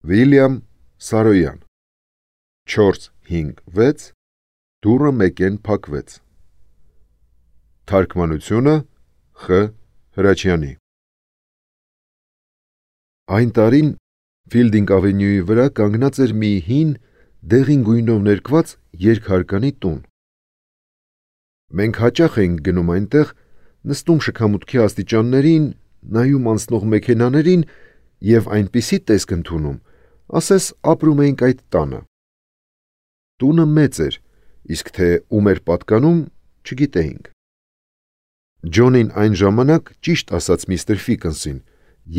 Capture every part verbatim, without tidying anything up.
Վիլյամ Սարոյան չորս հինգ վեց դուռը մեկեն փակվեց։ Թարգմանությունը Խ. Հրաչյանի։ Այն տարին Ֆիլդինգ ավենյուի վրա կանգնած էր մի հին, դեղին գույնով ներկված երկհարկանի տուն։ Մենք հաճախ էինք գնում այնտեղ, նստում շքամուտքի աստիճաններին, նայում անցնող մեքենաներին և այնպիսի տեսք ընդունում, ասես ապրում էինք այդ տանը։ Տունը մեծ էր, իսկ թե ում էր պատկանում, չգիտեինք։ Ջոնին այն ժամանակ ճիշտ ասաց միստր Ֆիքնսին,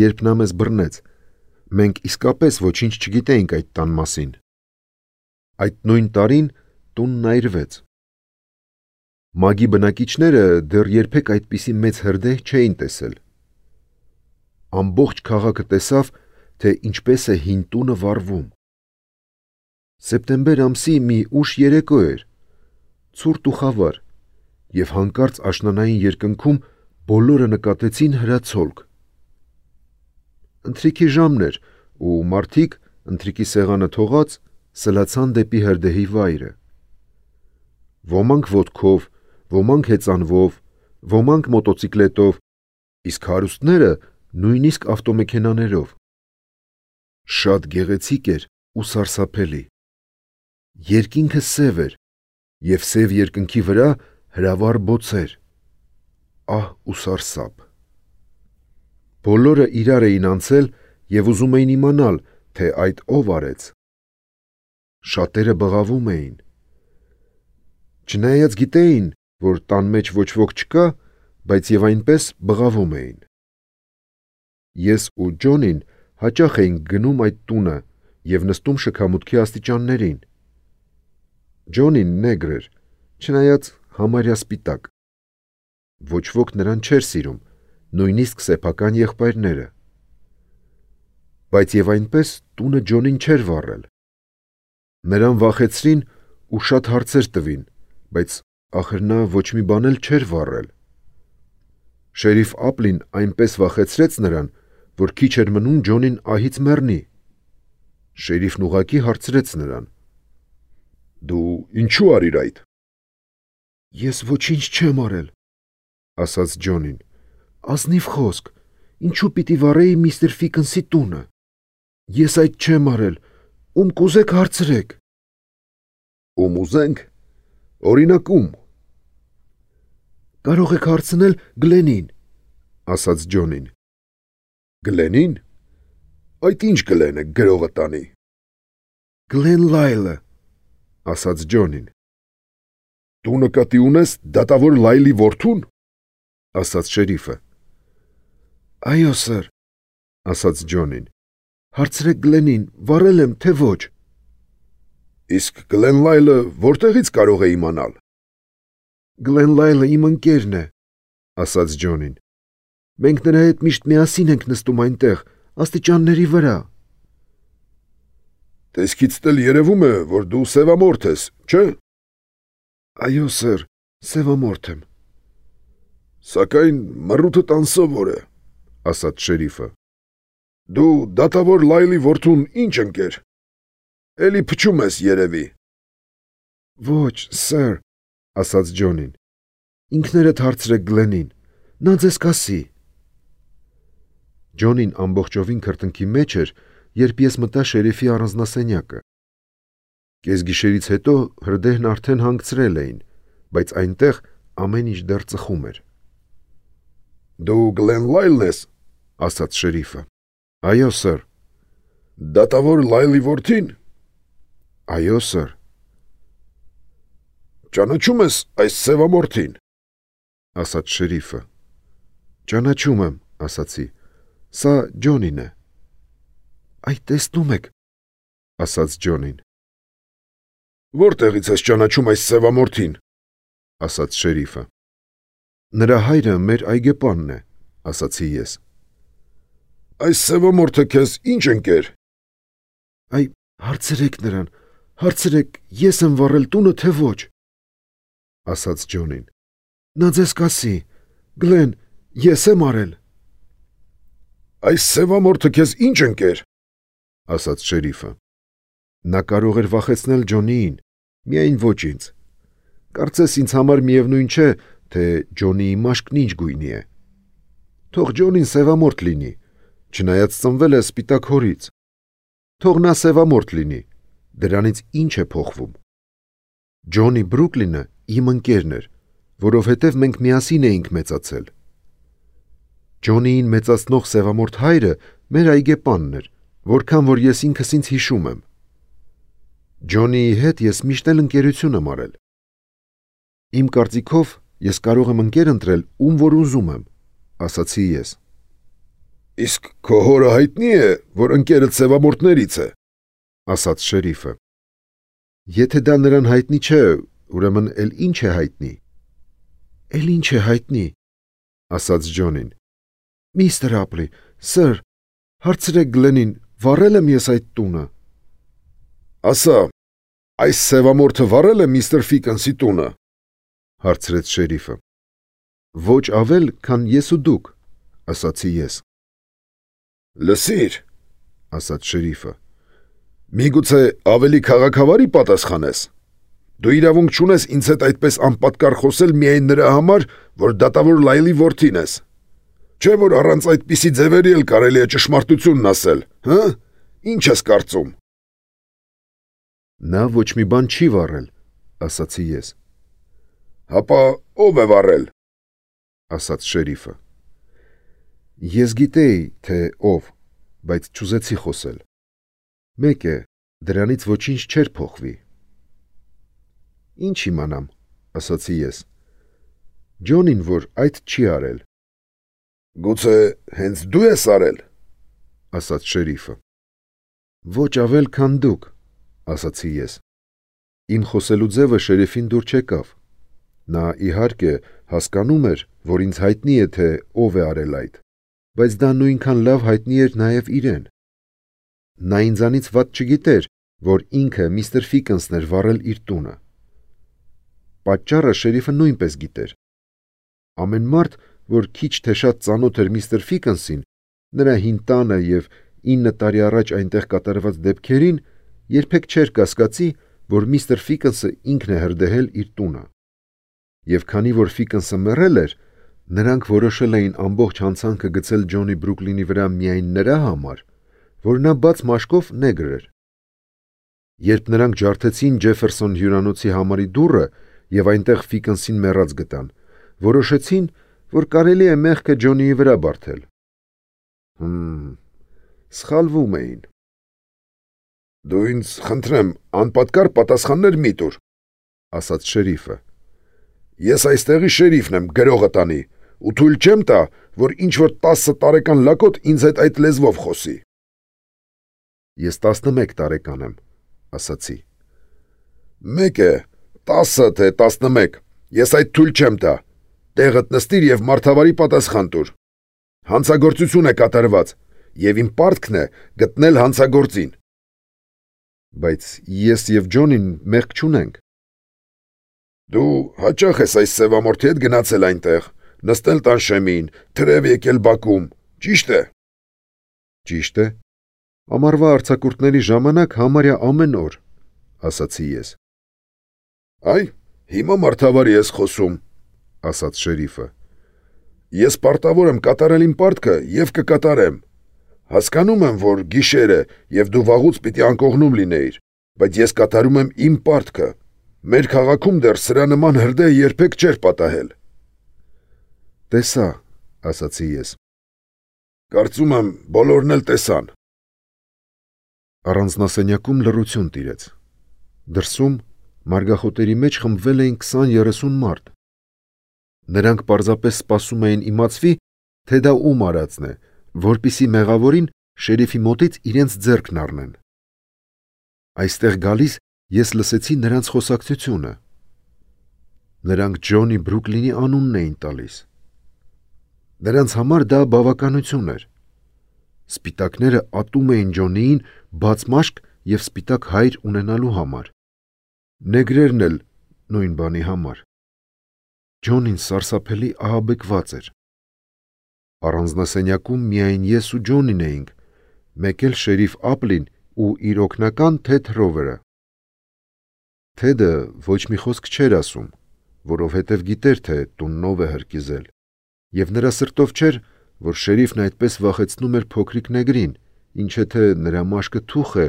երբ նա մեզ բռնեց, մենք իսկապես ոչինչ չգիտեինք այդ տան մասին։ Այդ նույն տարին տունն այրվեց։ Մագի բնակիչները դեռ երբեք այդպիսի մեծ հրդեհ չէին տեսել։ Ամբողջ քաղաքը տեսավ, թե ինչպես է հին տունը վառվում։ Սեպտեմբեր ամսի մի ուշ երեկո էր, ցուրտ ու խավար, և հանկարծ աշնանային երկնքում բոլորը նկատեցին հրացոլք։ Ընթրիքի ժամն էր, ու մարդիկ, ընթրիքի սեղանը թողած, սլացան դեպի հրդեհի վայրը։ Ոմանք ոտքով, ոմանք հեծանվով, ոմանք մոտոցիկլետով, իսկ հարուստները նույնիսկ ավտոմեքենաներով։ Շատ գեղեցիկ էր ու սարսափելի։ Երկինքը սև էր, և սև երկնքի վրա հրավառ բոցեր։ Ահ ու սարսափ։ Բոլորը իրար էին անցել և ուզում էին իմանալ, թե այդ ով արեց։ Շատերը բղավում էին։ Չնայած գիտեին, որ տան մեջ ոչ ոք չկա, բայց և այնպես բղավում էին։ Ես ու Ջոնին հաճախ էինք գնում այդ տունը և նստում շքամուտքի աստիճաններին։ Ջոնին նեգր էր, չնայած համարյա սպիտակ։ Ոչ ոք նրան չէր սիրում, նույնիսկ սեփական եղբայրները։ Բայց և այնպես տունը Ջոնին չէր վառել։ Նրան վախեցրին ու շատ հարցեր տվին, բայց ախր նա ոչ մի բան էլ չէր վառել։ Շերիֆ Ափլին այնպես վախեցրեց նրան, որ քիչ էր մնում Ջոնին ահից մեռնի։ Շերիֆն ուղղակի հարցրեց նրան. «Դու ինչու արիր այդ»։ «Ես ոչինչ չեմ արել», ասաց Ջոնին։ «Ազնիվ խոսք, ինչու պիտի վառեի միստր Ֆիքնսի տունը։ Ես այդ չեմ արել, ում կուզեք հարցրեք»։ «Ում ուզենք, օրինակ ում»։ «Կարող եք հարցնել Գլենին», ասաց Ջոնին։ «Գլենին։ Այդ ի՞նչ Գլեն է գրողը տանի»։ «Գլեն Լայլը», ասաց Ջոնին։ «Դու նկատի ունես դատավոր Լայլի որդո՞ւն», ասաց շերիֆը։ «Այո, սըր», ասաց Ջոնին։ «Հարցրեք Գլենին, վառել եմ, թե ոչ»։ «Իսկ Գլեն Լայլը որտեղից կարող է իմանալ»։ «Գլեն Լայլը իմ ընկերն է», ասաց Ջոնին։ «Մենք նրա հետ միշտ միասին ենք նստում այնտեղ, աստիճանների վրա»։ «Տեսքիցդ էլ երևում է, որ դու սևամորթ ես, չէ՞։ «Այո, սըր, սևամորթ եմ»։ «Սակայն մռութդ անսովոր է», ասաց շերիֆը։ «Դու դատավոր Լայլի որդուն ի՞նչ ընկեր։ Էլի փչում ես, երևի»։ «Ոչ, սըր», ասաց Ջոնին։ «Ինքներդ հարցրեք Գլենին, նա ձեզ կասի»։ Ջոնին ամբողջովին քրտինքի մեջ էր, երբ ես մտա շերիֆի առանձնասենյակը։ Կեսգիշերից հետո հրդեհն արդեն հանգցրել էին, բայց այնտեղ ամեն ինչ դեռ ծխում էր։ «Դու Գլեն Լայլն ես», ասաց շերիֆը։ «Այո, սըր»։ «Դատավոր Լայլի որդի՞ն»։ «Այո, սըր»։ «Ճանաչում ես այս սևամորթին», ասաց շերիֆը։ «Ճանաչում եմ», ասացի, «սա Ջոնին է»։ «Այ տեսնում եք», ասաց Ջոնին։ «Որտեղից ես ճանաչում այս սևամորթին», ասաց շերիֆը։ «Նրա հայրը մեր այգեպանն է», ասացի ես։ «Այս սևամորթը քեզ ի՞նչ ընկեր»։ «Այ հարցրեք նրան, հարցրեք, ես եմ վառել տունը, թե ոչ», ասաց Ջոնին։ «Նա ձեզ կասի, Գլեն, ես եմ արել»։ «Այս սևամորթը քեզ ի՞նչ ընկեր»։ ասաց շերիֆը։ Նա կարող էր վախեցնել Ջոնիին, միայն ոչ ինձ։ Կարծես ինձ համար միևնույն չէ, թե Ջոնիի մաշկն ինչ գույնի է։ Թող Ջոնին սևամորթ լինի, չնայած ծնվել է սպիտակ հորից։ Թող նա սևամորթ լինի, դրանից ինչ է փոխվում։ Ջոնի Բրուկլինը իմ ընկերն էր, որովհետև մենք միասին էինք մեծացել։ Ջոնիին մեծացնող սևամորթ հայրը մեր այգեպանն էր, որքան որ ես ինքս ինձ հիշում եմ։ Ջոնիի հետ ես միշտ էլ ընկերություն եմ արել։ Իմ կարծիքով ես կարող եմ ընկեր ընտրել, ում որ ուզում եմ, ասացի ես։ Իսկ քո հորը հայտնի է, որ ընկերդ սևամորթներից է, ասաց շերիֆը։ Եթե դա նրան հայտնի չէ, ուրեմն էլ ինչ է հայտնի։ Էլ ինչ է հայտնի, ասաց Ջոնին։ Միստր Ապլի, սըր, հարցրեք Գլենին, վառել եմ ես այդ տունը։ Ասա, այս սևամորթը վառել է միստր Ֆիքենսի տունը, հարցրեց շերիֆը։ Ոչ ավել, քան ես ու դուք, ասացի ես։ Լսիր, ասաց շերիֆը, միգուցե ավելի քաղաքավարի պատասխանես։ Դու իրավունք չունես ինձ հետ այդպես անպատկառ խոսել միայն նրա համար, որ դատավոր Լայլի որդին ես։ Չէ՞ որ առանց այդպիսի ձևերի էլ կարելի է ճշմարտությունն ասել, հը՞, ինչ ես կարծում։ Նա ոչ մի բան չի վառել, ասացի ես։ Հապա ով է վառել, ասաց շերիֆը։ Ես գիտեի, թե ով, բայց չուզեցի խոսել։ Մեկ է, դրանից ոչինչ չէր փոխվի։ Ինչ իմանամ, ասացի ես։ Ջոնին, որ այդ չի արել։ Գուցե հենց դու ես արել, ասաց շերիֆը։ Ոչ ավել, քան դուք, ասացի ես։ Իմ խոսելու ձևը շերիֆին դուր չեկավ։ Նա իհարկե հասկանում էր, որ ինձ հայտնի է, թե ով է արել այդ, բայց դա նույնքան լավ հայտնի էր նաև իրեն։ Նա ինձանից վատ չգիտեր, որ ինքը միստր Ֆիքենսն էր վառել իր տունը։ Պատճառը շերիֆը նույնպես գիտեր։ Ամեն մարդ, որ քիչ թե շատ ծանոթ էր միստր Ֆիքենսին, նրա հին տանը և ինը տարի առաջ այնտեղ կատարված դեպքերին, երբեք չէր կասկածի, որ միստր Ֆիքենսը ինքն է հրդեհել իր տունը։ Եվ քանի որ Ֆիքենսը մեռել էր, նրանք որոշել էին ամբողջ հանցանքը գցել Ջոնի Բրուկլինի վրա միայն նրա համար, որ նա բաց մաշկով նեգր էր։ Երբ նրանք ջարդեցին Ջեֆերսոն հյուրանոցի համարի դուռը և այնտեղ Ֆիքենսին մեռած գտան, որոշեցին, որ կարելի է մեղքը Ջոնիի վրա բարդել։ Հմ, սխալվում էին։ Դու ինձ խնդրեմ, անպատկառ պատասխաններ մի տուր, ասաց շերիֆը։ Ես այստեղի շերիֆն եմ, գրողը տանի, ու թույլ չեմ տա, որ ինչ-որ տասը տարեկան լակոտ ինձ հետ այդ լեզվով խոսի։ Ես տասնմեկ տարեկան եմ, ասացի։ Մեկ է, տասը թե տասնմեկ, ես այդ թույլ չեմ տա, տեղդ նստիր և մարդավարի պատասխան տուր։ Հանցագործություն է կատարված, և իմ պարտքն է գտնել հանցագործին։ Բայց ես և Ջոնին մեղք չունենք։ Դու հաճախ ես այս սևամորթի հետ գնացել այնտեղ, նստել տան շեմին, թրև եկել բակում, ճիշտ է։ Ճիշտ է։ Ամառվա արձակուրդների ժամանակ համարյա ամեն օր, ասացի ես։ Այ, հիմա մարդավարի ես խոսում, ասաց շերիֆը։ Ես պարտավոր եմ կատարել իմ պարտքը և կկատարեմ։ Հասկանում եմ, որ գիշեր է և դու վաղուց պիտի անկողնում լինեիր, բայց ես կատարում եմ իմ պարտքը։ Մեր քաղաքում դեռ սրա նման հրդեհ երբեք չէր պատահել։ Տեսա, ասացի ես։ Կարծում եմ, բոլորն էլ տեսան։ Առանձնասենյակում լռություն տիրեց։ Դրսում մարգախոտերի մեջ խմբվել էին քսան-երեսուն մարդ։ Նրանք պարզապես սպասում էին իմացվի, թե դա ում արածն է, որպեսզի մեղավորին շերիֆի մոտից իրենց ձեռքն առնեն։ Այստեղ գալիս ես լսեցի նրանց խոսակցությունը։ Նրանք Ջոնի Բրուկլինի անունն էին տալիս։ Նրանց համար դա բավականություն էր։ Սպիտակները ատում էին Ջոնիին բաց մաշկ և սպիտակ հայր ունենալու համար։ Նեգրերն էլ նույն բանի համար։ Ջոնին սարսափելի ահաբեկված էր։ Առանձնասենյակում միայն ես ու Ջոնին էինք, մեկ էլ շերիֆ Ապլին ու իր օգնական Թեդ Ռովերը։ Թեդը ոչ մի խոսք չէր ասում, որովհետև գիտեր, թե տունն ով է հրկիզել, եւ նրա սրտով չէր, որ շերիֆն այդպես վախեցնում էր փոքրիկ նեգրին, ինչը թե նրա մաշկը թուխ է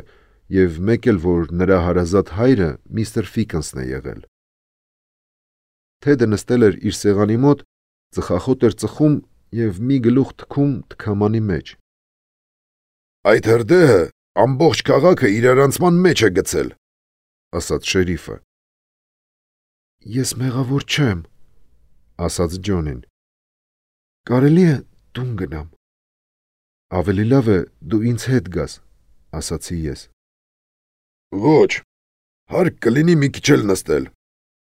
եւ մեկ էլ որ նրա հարազատ հայրը միստր Ֆիքենսն է եղել։ Թեդը նստել էր իր սեղանի մոտ, ծխախոտ էր ծխում եւ մի գլուխ թքում թքամանի մեջ։ Այդ հրդեհը ամբողջ քաղաքը իրարանցման մեջ է գցել, ասաց շերիֆը։ Ես մեղավոր չեմ, ասաց Ջոնին։ Կարելի է տուն գնամ։ Ավելի լավ է դու ինձ հետ գաս, ասացի ես։ Ոչ, հարկ կլինի մի քիչ էլ նստել,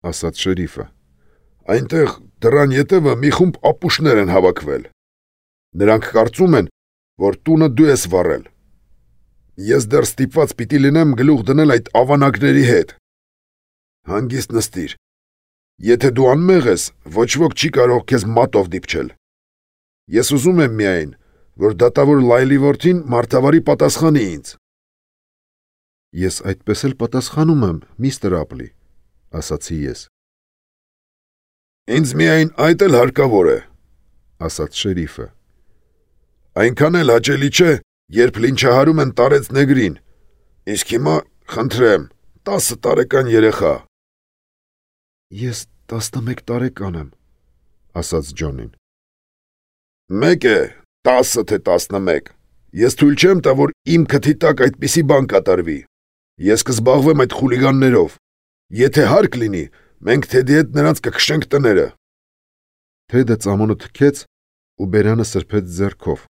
ասաց շերիֆը։ Այնտեղ դռան ետևը մի խումբ ապուշներ են հավաքվել։ Նրանք կարծում են, որ տունը դու ես վառել։ Ես դեռ ստիպված պիտի լինեմ գլուխ դնել այդ ավանակների հետ։ Հանգիստ նստիր։ Եթե դու անմեղ ես, ոչ ոք չի կարող քեզ մատով դիպչել։ Ես ուզում եմ միայն, որ դատավոր Լայլի որդին մարդավարի պատասխանի ինձ։ Ես այդպես էլ պատասխանում եմ, միստր Ապլի, ասացի ես։ Ինձ միայն այդ էլ հարկավոր է, ասաց շերիֆը։ Այնքան էլ հաճելի չէ, երբ լինչահարում են տարեց նեգրին, իսկ հիմա, խնդրեմ, տասը տարեկան երեխա։ Ես տասնմեկ տարեկան եմ, ասաց Ջոնին։ Մեկ է, տասը թե տասնմեկ, ես թույլ չեմ տա, որ իմ քթի տակ այդպիսի բան կատարվի, ես կզբաղվեմ այդ խուլիգաններով, եթե հարկ լինի, մենք Թեդի հետ նրանց կքշենք տները։ Թեդը ծամոնը թքեց ու բերանը սրբեց ձեռքով։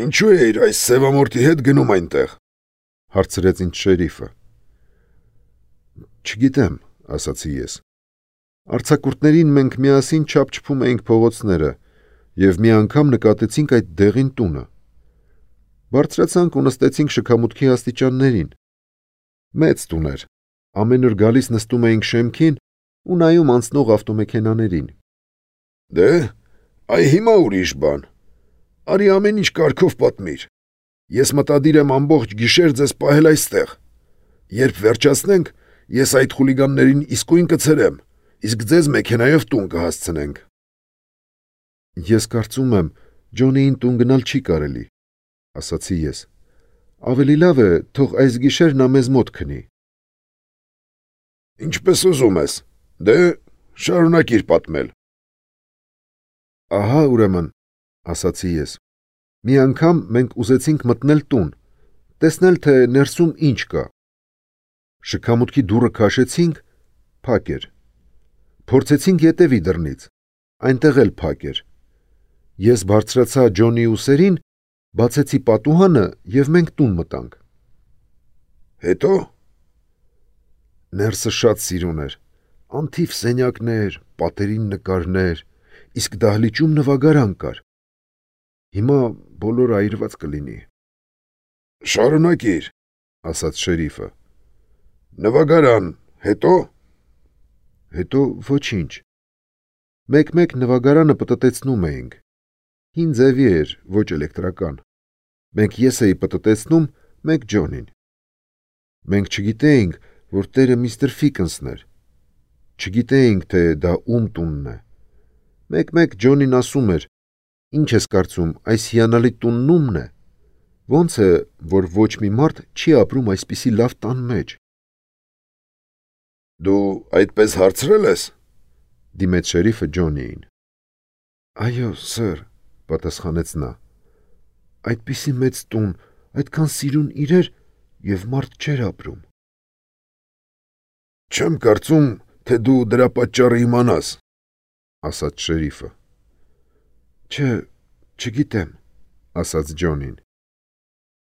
Ինչու է իր այս սևամորթի հետ գնում այնտեղ, հարցրեց ինձ շերիֆը։ Չգիտեմ, ասացի ես։ Արձակուրդներին մենք միասին չափչփում էինք փողոցները եւ մի անգամ նկատեցինք այդ դեղին տունը։ Բարձրացանք ու նստեցինք շքամուտքի աստիճաններին։ Մեծ տուն էր։ Ամեն օր գալիս նստում էինք շեմքին ու նայում անցնող ավտոմեքենաներին։ Դե, այ հիմա ուրիշ բան։ Արի ամեն ինչ կարգով պատմիր։ Ես մտադիր եմ ամբողջ գիշեր ձեզ պահել այստեղ։ Երբ վերջացնենք, ես այդ խուլիգաններին իսկույն կցրեմ, իսկ ձեզ մեքենայով տուն կհասցնենք։ Ես կարծում եմ, Ջոնիին տուն գնալ չի կարելի, ասացի ես։ Ավելի լավ է, թող այս գիշեր նա մեզ մոտ քնի։ Ինչպես ուզում ես, դե շարունակիր պատմել։ Ահա ուրեմն, ասացի ես։ Մի անգամ մենք ուզեցինք մտնել տուն, տեսնել, թե ներսում ինչ կա։ Շքամուտքի դուռը քաշեցինք, փակ էր։ Փորձեցինք ետևի դռնից, այնտեղ էլ փակ էր։ Ես բարձրացա Ջոնի ուսերին, բացեցի պատուհանը եւ մենք տուն մտանք։ Հետո ներսը շատ սիրուն էր, անթիվ սենյակներ, պատերին նկարներ, իսկ դահլիճում նվագարան կար։ Հիմա բոլորը այրված կլինի։ Շարունակիր, ասաց շերիֆը։ Նվագարան, հետո Հետո ոչինչ։ Մեկ-մեկ նվագարանը պտտեցնում էինք։ Հին ձևի էր, ոչ էլեկտրական։ Մենք ես էի պտտեցնում, մեկ Ջոնին։ Մենք չգիտեինք, որ տերը միստր Ֆիքենսն էր։ Չգիտեինք, թե դա ում տունն է։ Մեկ-մեկ Ջոնին ասում էր. Ինչ ես կարծում, այս հիանալի տունն ումն է։ Ոնց է, որ ոչ մի մարդ չի ապրում այսպիսի լավ տան մեջ։ Դու այդպես հարցրել ես, դիմեց շերիֆը Ջոնիին։ Այո, սըր, պատասխանեց նա։ Այդպիսի մեծ տուն, այդքան սիրուն իրեր եւ մարդ չէր ապրում։ Չեմ կարծում, թե դու դրա պատճառը իմանաս, ասաց շերիֆը։ Չէ, չգիտեմ, ասաց Ջոնին։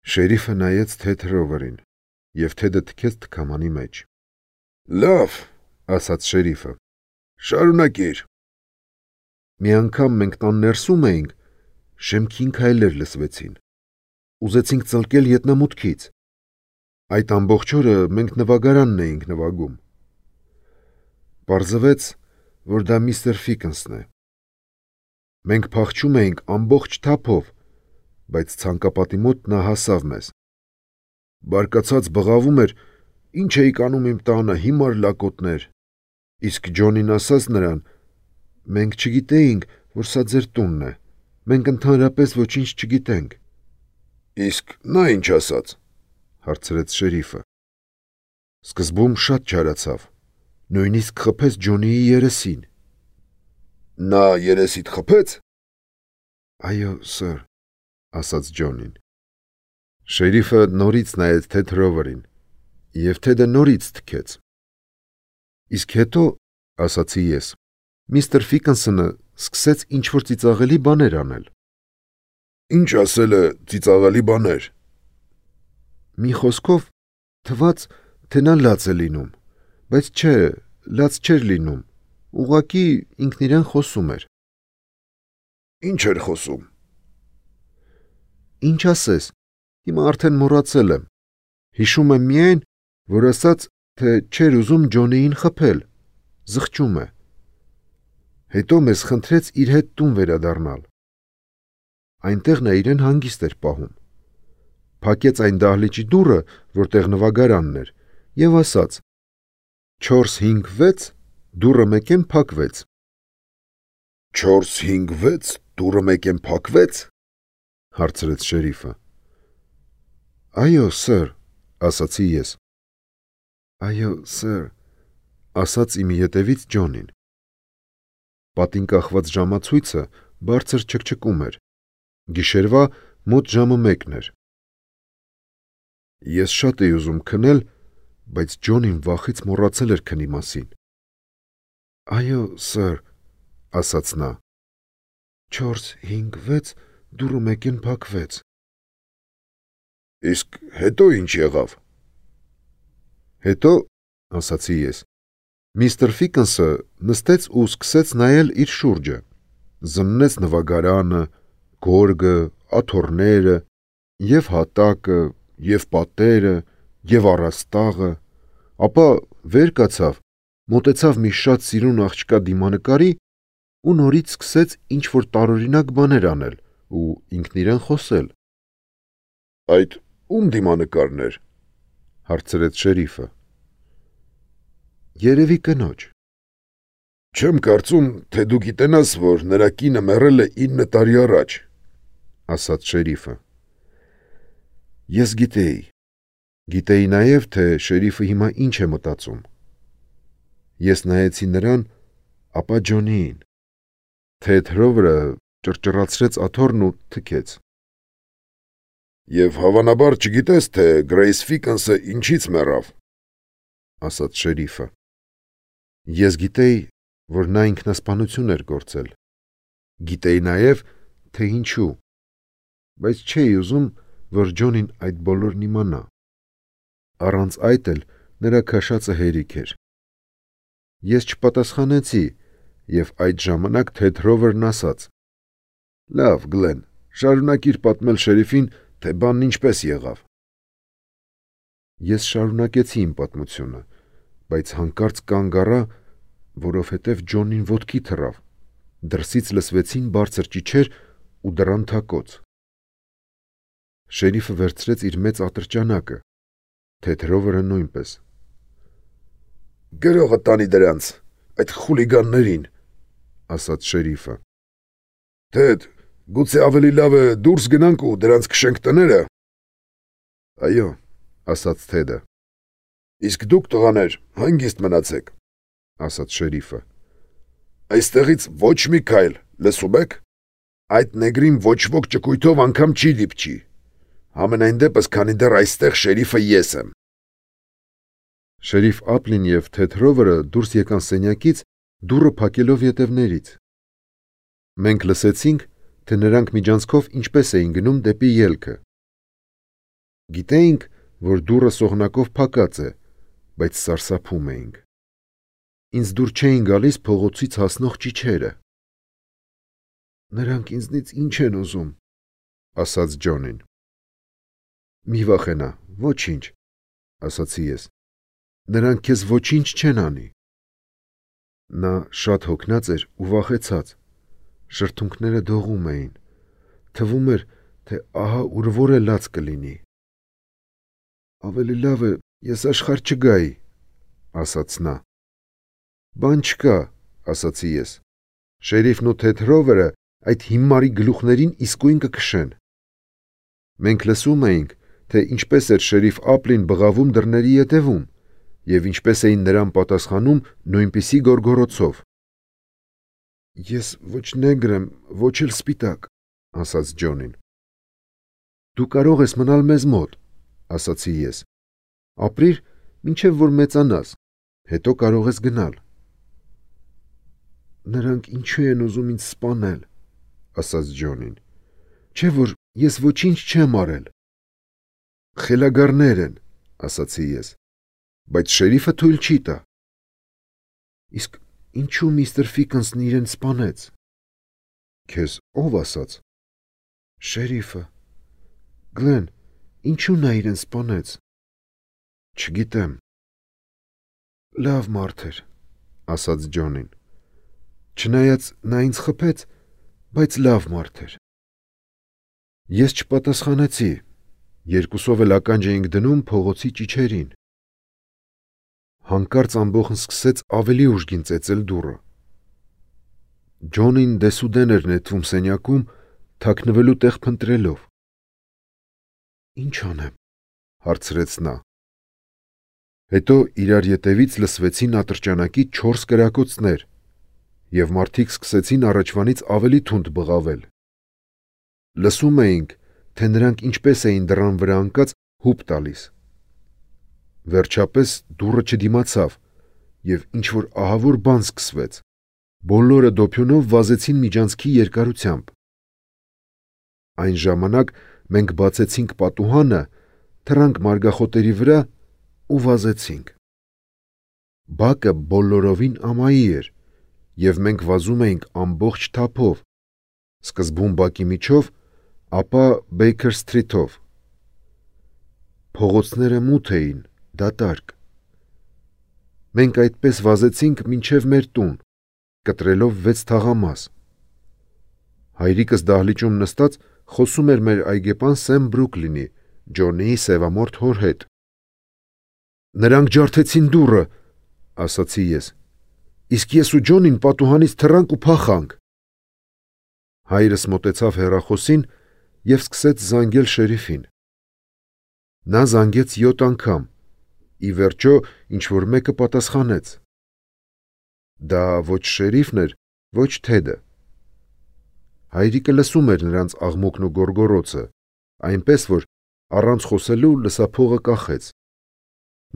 Շերիֆը նայեց Թեդ Ռովերին եւ Թեդը թքեց թքամանի մեջ։ Լավ, ասաց շերիֆը։ Շարունակիր։ Մի անգամ մենք տան ներսում էինք, շեմքին քայլեր լսվեցին։ Ուզեցինք ծլկել ետնամուտքից։ Այդ ամբողջ օրը մենք նվագարանն էինք նվագում։ Պարզվեց, որ դա միստր Ֆիքենսն է։ Մենք փախչում էինք ամբողջ թափով, բայց ցանկապատի մոտ նա հասավ մեզ։ Բարկացած բղավում էր. «Ինչ էիք անում իմ տանը, հիմար լակոտներ»։ Իսկ Ջոնին ասաց նրան. «Մենք չգիտեինք, որ սա ձեր տունն է։ Մենք ընդհանրապես ոչինչ չգիտենք»։ Իսկ նա ինչ ասաց, հարցրեց շերիֆը։ Սկզբում շատ չարացավ, նույնիսկ խփեց Ջոնիի երեսին։ Նա երեսիդ խփեց։ Այո, սըր, ասաց Ջոնին։ Շերիֆը նորից նայեց Թեդ Հրովերին, և Թեդը նորից թքեց։ Իսկ հետո, ասացի ես, միստր Ֆիկնսոնը սկսեց ինչ-որ ծիծաղելի բաներ անել։ Ինչ ասել է ծիծաղելի բաներ։ Մի խոսքով, թվաց, թե նա լաց է լինում, բայց չէ, լաց չէր լինում, ուղղակի ինքն իրեն խոսում էր։ Ինչ էր խոսում։ Ինչ ասես, հիմա արդեն մոռացել եմ։ Հիշում եմ միայն, որ ասաց, թե չէր ուզում Ջոնիին խփել, զղջում է։ Հետո մեզ խնդրեց իր հետ տուն վերադառնալ։ Այնտեղ նա իրեն հանգիստ էր պահում։ Փակեց այն դահլիճի դուռը, որտեղ նվագարանն էր, և ասաց. «Չորս, հինգ, վեց, դուռը մեկեն փակվեց»։ Չորս, հինգ, վեց, դուռը մեկեն փակվեց, հարցրեց շերիֆը։ Այո, սըր, ասացի ես։ Այո, սըր, ասաց իմ ետևից Ջոնին։ Պատին կախված ժամացույցը բարձր չկչկում էր։ Գիշերվա մոտ ժամը մեկն էր։ Ես շատ էի ուզում քնել, բայց Ջոնին վախից մոռացել էր քնի մասին։ Այո, սըր, ասաց նա։ Չորս, հինգ, վեց, դուռը մեկեն փակվեց։ Իսկ հետո ինչ եղավ։ Հետո, ասացի ես, միստր Ֆիկնսը նստեց ու սկսեց նայել իր շուրջը, զննեց նվագարանը, գորգը, աթոռները, և հատակը, և պատերը, և առաստաղը, ապա վեր կացավ, մոտեցավ մի շատ սիրուն աղջկա դիմանկարի ու նորից սկսեց ինչ-որ տարօրինակ բաներ անել ու ինքն իրեն խոսել։ Այդ ում դիմանկարն էր, հարցրեց շերիֆը։ Երևի կնոջ։ Չեմ կարծում, թե դու գիտենաս, որ նրա կինը մեռել է ինը տարի առաջ, ասաց շերիֆը։ Ես գիտեի։ Գիտեի նաև, թե շերիֆը հիմա ինչ է մտածում։ Ես նայեցի նրան, ապա Ջոնիին։ Թեդ Հրովերը ճռճռացրեց աթոռն ու թքեց։ Եվ հավանաբար չգիտես, թե Գրեյս Ֆիկնսը ինչից մեռավ, ասաց շերիֆը։ Ես գիտեի, որ նա ինքնասպանություն էր գործել։ Գիտեի նաև, թե ինչու, բայց չէի ուզում, որ Ջոնին այդ բոլորն իմանա։ Առանց այդ էլ նրա քաշածը հերիք էր։ Ես չպատասխանեցի, և այդ ժամանակ Թեդ Հրովերն ասաց. Լավ, Գլեն, շարունակիր պատմել շերիֆին, թե բանն ինչպես եղավ։ Ես շարունակեցի իմ պատմությունը, բայց հանկարծ կանգ առա, որովհետև Ջոնին ոտքի թռավ, դրսից լսվեցին բարձր ճիչեր ու դռան թակոց։ Շերիֆը վերցրեց իր մեծ ատրճանակը, Թեդ Հրովերը նույնպես։ Գրողը տանի դրանց, այդ խուլիգաններին, ասաց շերիֆը։ Թեդ, գուցե ավելի լավ է դուրս գնանք ու դրանց քշենք տները։ Այո, ասաց Թեդը։ Իսկ դուք տղաներ, հանգիստ մնացեք, ասաց շերիֆը։ Այստեղից ոչ մի քայլ, լսում եք։ Այդ նեգրին ոչ ոք ճկույթով անգամ չի դիպչի։ Համենայն դեպս, քանի դեռ այստեղ շերիֆը ես եմ։ Շերիֆ Ափլին և Թեդ Հրովերը դուրս եկան սենյակից, դուռը փակելով ետևներից։ Մենք լսեցինք, թե նրանք միջանցքով ինչպես էին գնում դեպի ելքը։ Գիտեինք, որ դուռը սողնակով փակած է, բայց սարսափում էինք։ Ինձ դուր չէին գալիս փողոցից հասնող ճիչերը։ Նրանք ինձնից ինչ են ուզում, ասաց Ջոնին։ Մի վախենա, ոչինչ, ասացի ես։ Նրանք քեզ ոչինչ չեն անի։ Նա շատ հոգնած էր ու վախեցած։ Շրթունքները դողում էին։ Թվում էր, թե ահա ուր որ է լաց կլինի։ Ավելի լավ է, ես աշխարհ չգայի, ասաց նա։ Բան չկա, ասացի ես։ Շերիֆն ու Թեդ Հրովերը այդ հիմարի գլուխներին իսկույն կքշեն։ Մենք լսում էինք, թե ինչպես էր շերիֆ Ապլին բղավում դռների ետևում, եւ ինչպես էին նրան պատասխանում նույնպիսի գորգորոցով։ Ես ոչ նեգր եմ, ոչ էլ սպիտակ, ասաց Ջոնին։ Դու կարող ես մնալ մեզ մոտ, ասացի ես։ Ապրիր, մինչև որ մեծանաս, հետո կարող ես գնալ։ Նրանք ինչու են ուզում ինձ սպանել, ասաց Ջոնին։ Չէ՞ որ ես ոչինչ չեմ արել։ Խելագարներ են, ասացի ես, բայց շերիֆը թույլ չի տա։ Իսկ ինչու միստր Ֆիքենսն իրեն սպանեց։ Քեզ ով ասաց։ Շերիֆը։ Գլեն, ինչու նա իրեն սպանեց։ Չգիտեմ։ Լավ մարդ էր, ասաց Ջոնին։ Չնայած նա ինձ խփեց, բայց լավ մարդ էր։ Ես չպատասխանեցի, երկուսով էլ ականջ էինք դնում փողոցի ճիչերին։ Հանկարծ ամբողջն սկսեց ավելի ուժգին ծեծել դուռը։ Ջոնին դեսուդեն էր նետվում սենյակում, թաքնվելու տեղ փնտրելով։ Ինչ անեմ, հարցրեց նա։ Հետո իրար ետևից լսվեցին ատրճանակի չորս կրակոցներ, եւ մարդիկ սկսեցին առաջվանից ավելի թունդ բղավել։ Լսում էինք, թե նրանք ինչպես էին դռան վրա ընկած հուպ տալիս։ Վերջապես դուռը չդիմացավ, եւ ինչ-որ ահավոր բան սկսվեց։ Բոլորը դոփյունով վազեցին միջանցքի երկարությամբ։ Այն ժամանակ մենք բացեցինք պատուհանը, թռանք մարգախոտերի վրա ու վազեցինք։ Բակը բոլորովին ամայի էր, եւ մենք վազում էինք ամբողջ թափով, սկզբում բակի միջով, ապա Բեյքեր Սթրիթով։ Փողոցները մութ էին, դատարկ։ Մենք այդպես վազեցինք մինչև մեր տուն, կտրելով վեց թաղամաս։ Հայրիկս դահլիճում նստած խոսում էր մեր այգեպան Սեմ Բրուքլինի, Ջոնիի սևամորթ հոր հետ։ Նրանք ջարդեցին դուռը, ասացի ես, իսկ ես ու Ջոնին պատուհանից թռանք ու փախանք։ Հայրս մոտեցավ հեռախոսին եւ սկսեց զանգել շերիֆին։ Նա զանգեց յոթ անգամ, ի վերջո ինչ-որ մեկը պատասխանեց։ Դա ոչ շերիֆն էր, ոչ Թեդը։ Հայրիկը լսում էր նրանց աղմուկն ու գոռգոռոցը, այնպես որ առանց խոսելու լսափողը կախեց։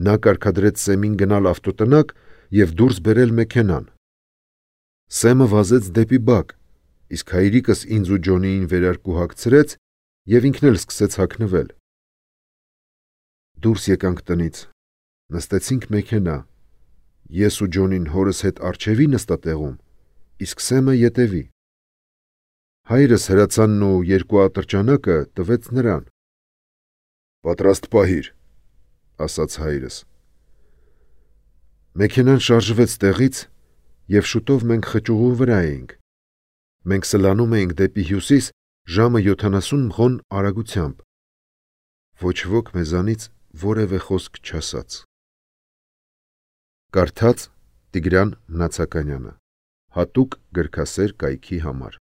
Նա կարգադրեց Սեմին գնալ ավտոտնակ եւ դուրս բերել մեքենան։ Սեմը վազեց դեպի բակ, իսկ հայրիկս ինձ ու Ջոնիին վերարկու հագցրեց եւ ինքն էլ սկսեց հագնվել։ Դուրս եկանք տնից, նստեցինք մեքենա։ Ես ու Ջոնին հորս հետ առջևի նստատեղում, իսկ Սեմը ետևի։ Հայրս հրացանն ու երկու ատրճանակը տվեց նրան։ Պատրաստ պահիր, ասաց հայրս։ Մեքենան շարժվեց տեղից, եւ շուտով մենք խճուղու վրա էինք։ Մենք սլանում էինք դեպի հյուսիս ժամը յոթանասուն մղոն արագությամբ։ Ոչ ոք մեզանից որևէ խոսք չասաց։ Կարդաց Տիգրան Մնացականյանը, հատուկ գրքասեր կայքի համար։